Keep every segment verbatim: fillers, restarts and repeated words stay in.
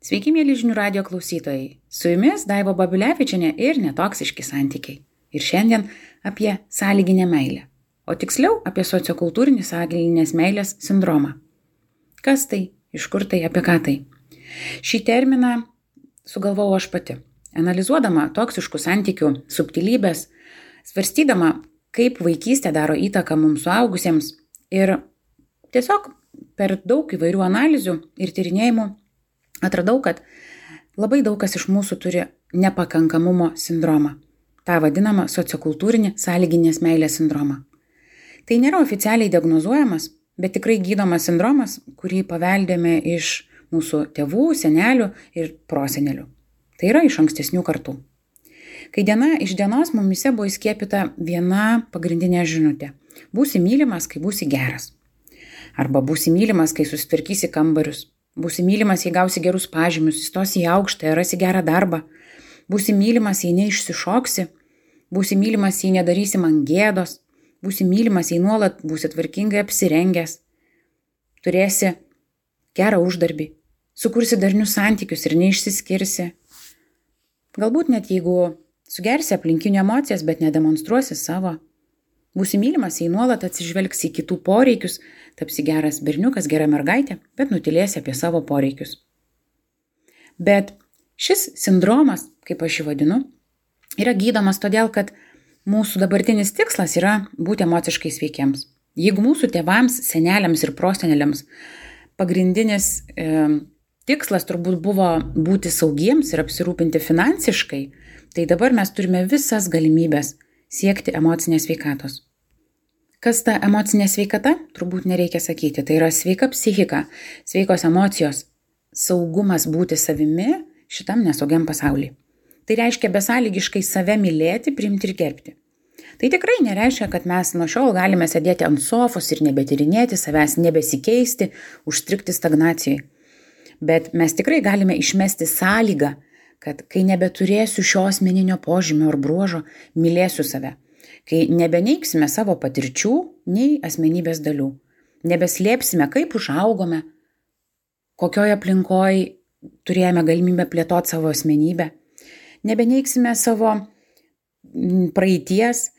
Sveiki, mėly žinių radijo klausytojai. Su jumis Daiva Babilevičienė ir netoksiški santykiai. Ir šiandien apie sąlyginę meilę. O tiksliau apie sociokultūrinį sąlyginės meilės sindromą. Kas tai? Iš kur tai? Apie ką tai? Šį terminą sugalvojau aš pati. Analizuodama toksiškų santykių subtilybės, svarstydama, kaip vaikystė daro įtaką mums suaugusiems ir tiesiog per daug įvairių analizių ir tyrinėjimų atradau, kad labai daug kas iš mūsų turi nepakankamumo sindromą. Ta vadinama sociokultūrinį sąlyginės meilės sindromą. Tai nėra oficialiai diagnozuojamas, bet tikrai gydomas sindromas, kurį paveldėme iš mūsų tėvų, senelių ir prosenelių. Tai yra iš ankstesnių kartų. Kai diena iš dienos mumise buvo įskiepyta viena pagrindinė žinutė. Būsi mylimas, kai būsi geras. Arba būsi mylimas, kai susitvarkysi kambarius. Būsi mylimas, jei gausi gerus pažymius, įstosi į aukštąją, rasi gerą darbą. Būsi mylimas, jei neišsišoksi. Būsi mylimas, jei nedarysi man gėdos. Būsi mylimas, jei nuolat būsi tvarkingai apsirengęs. Turėsi gerą uždarbį. Sukursi darnius santykius ir neišsiskirsi. Galbūt net jeigu sugersi aplinkinių emocijas, bet nedemonstruosi savo. Būsi mylimas, jei nuolat atsižvelgsi į kitų poreikius, tapsi geras berniukas, gera mergaitė, bet nutylėsi apie savo poreikius. Bet šis sindromas, kaip aš jį vadinu, yra gydomas todėl, kad mūsų dabartinis tikslas yra būti emociškai sveikiems. Jeigu mūsų tėvams, seneliams ir proseneliams pagrindinis e, tikslas turbūt buvo būti saugiems ir apsirūpinti finansiškai, tai dabar mes turime visas galimybės siekti emocinės sveikatos. Kas ta emocinė sveikata? Turbūt nereikia sakyti. Tai yra sveika psichika, sveikos emocijos, saugumas būti savimi šitam nesaugiam pasaulyje. Tai reiškia besąlygiškai save mylėti, priimti ir gerbti. Tai tikrai nereiškia, kad mes nuo šiol galime sėdėti ant sofos ir nebetyrinėti, savęs nebesikeisti, užstrigti stagnacijai. Bet mes tikrai galime išmesti sąlygą, kad kai nebeturėsiu šio asmeninio požymio ar bruožo, mylėsiu save. Kai nebeneiksime savo patirčių, nei asmenybės dalių. Nebeslėpsime, kaip užaugome, kokioje aplinkoje turėjome galimybę plėtoti savo asmenybę. Nebeneiksime savo praeities,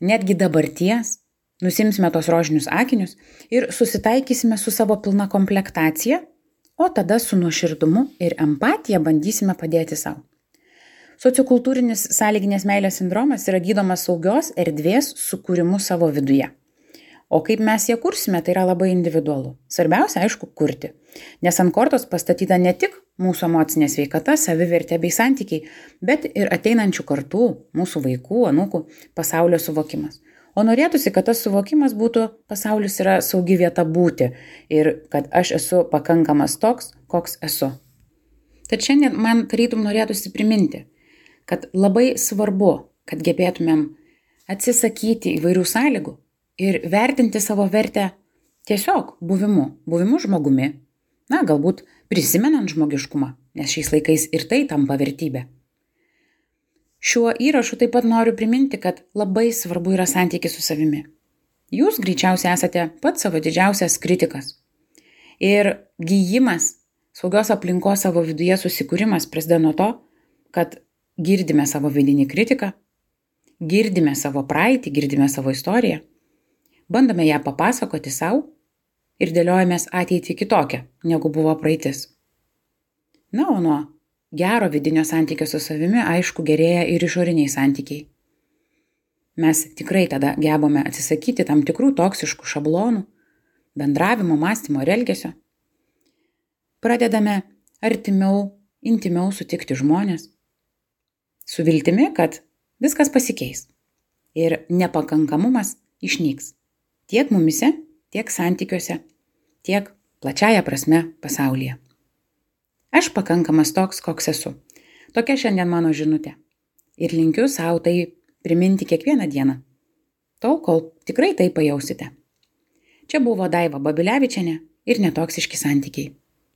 netgi dabarties. Nusimsime tos rožinius akinius ir susitaikysime su savo pilna komplektacija, o tada su nuoširdumu ir empatija bandysime padėti savo. Sociokultūrinis sąlyginės meilės sindromas yra gydomas saugios erdvės sukūrimu savo viduje. O kaip mes ją kursime, tai yra labai individualu. Svarbiausia, aišku, kurti. Nes ant kortos pastatyta ne tik mūsų emocinė sveikata, savivertė bei santykiai, bet ir ateinančių kartų, mūsų vaikų, anūkų pasaulio suvokimas. O norėtųsi, kad tas suvokimas būtų, pasaulis yra saugi vieta būti ir kad aš esu pakankamas toks, koks esu. Tad šiandien man tarytum norėtųsi priminti, kad labai svarbu, kad gebėtumėm atsisakyti įvairių sąlygų ir vertinti savo vertę tiesiog buvimu, buvimu žmogumi, na, galbūt prisimenant žmogiškumą, nes šiais laikais ir tai tampa vertybė. Šiuo įrašu taip pat noriu priminti, kad labai svarbu yra santykis su savimi. Jūs greičiausiai esate pats savo didžiausias kritikas. Ir gijimas, saugios aplinkos savo viduje susikūrimas prasideda nuo to, kad girdime savo vidinį kritiką, girdime savo praeitį, girdime savo istoriją, bandome ją papasakoti savo ir dėliojamės ateitį kitokią, negu buvo praeitis. Na, o nuo gero vidinio santykio su savimi, aišku, gerėja ir išoriniai santykiai. Mes tikrai tada gebame atsisakyti tam tikrų toksiškų šablonų, bendravimo, mąstymo ir elgesio. Pradedame artimiau, intimiau sutikti žmonės, su viltimi, kad viskas pasikeis ir nepakankamumas išnyks tiek mumise, tiek santykiuose, tiek plačiaja prasme pasaulyje. Aš pakankamas toks, koks esu. Tokia šiandien mano žinutė. Ir linkiu savo tai priminti kiekvieną dieną, tol, kol tikrai tai pajausite. Čia buvo Daiva Babilevičienė ir netoksiški santykiai.